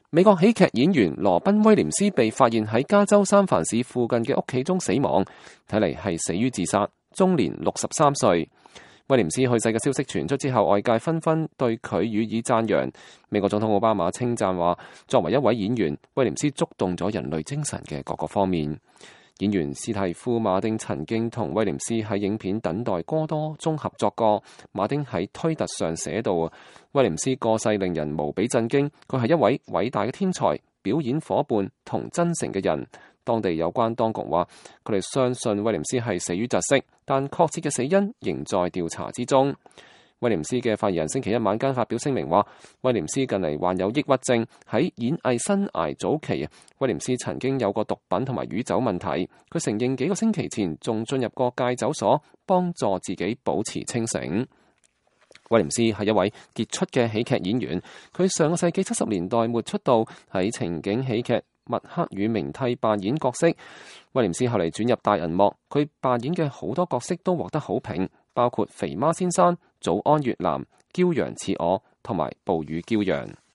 美國喜劇演員羅賓威廉斯被發現喺加州三藩市附近嘅屋企中死亡，睇嚟係死於自殺，終年63歲。威廉斯去世嘅消息傳出之後，外界紛紛對佢予以讚揚。美國總統奧巴馬稱讚話，作為一位演員，威廉斯觸動咗人類精神嘅各個方面。演員史蒂夫·馬丁曾經同威廉斯喺影片《等待戈多》中合作過。馬丁喺推特上寫道：威廉斯過世令人無比震驚，佢係一位偉大嘅天才、表演夥伴同真誠嘅人。當地有關當局話，佢哋相信威廉斯係死於窒息，但確切嘅死因仍在調查之中。威廉斯嘅發言人星期一晚間發表聲明話，威廉斯近嚟患有抑鬱症，喺演藝生涯早期，威廉斯曾經有過毒品同埋酗酒問題。佢承認幾個星期前仲進入過戒酒所，幫助自己保持清醒。威廉斯係一位傑出嘅喜劇演員，佢上個世紀70年代末出道，喺情景喜劇《麥克與明蒂》扮演角色。威廉斯後嚟轉入大銀幕，佢扮演嘅好多角色都獲得好評，包括肥媽先生、早安越南、驕陽似我同埋暴雨驕陽。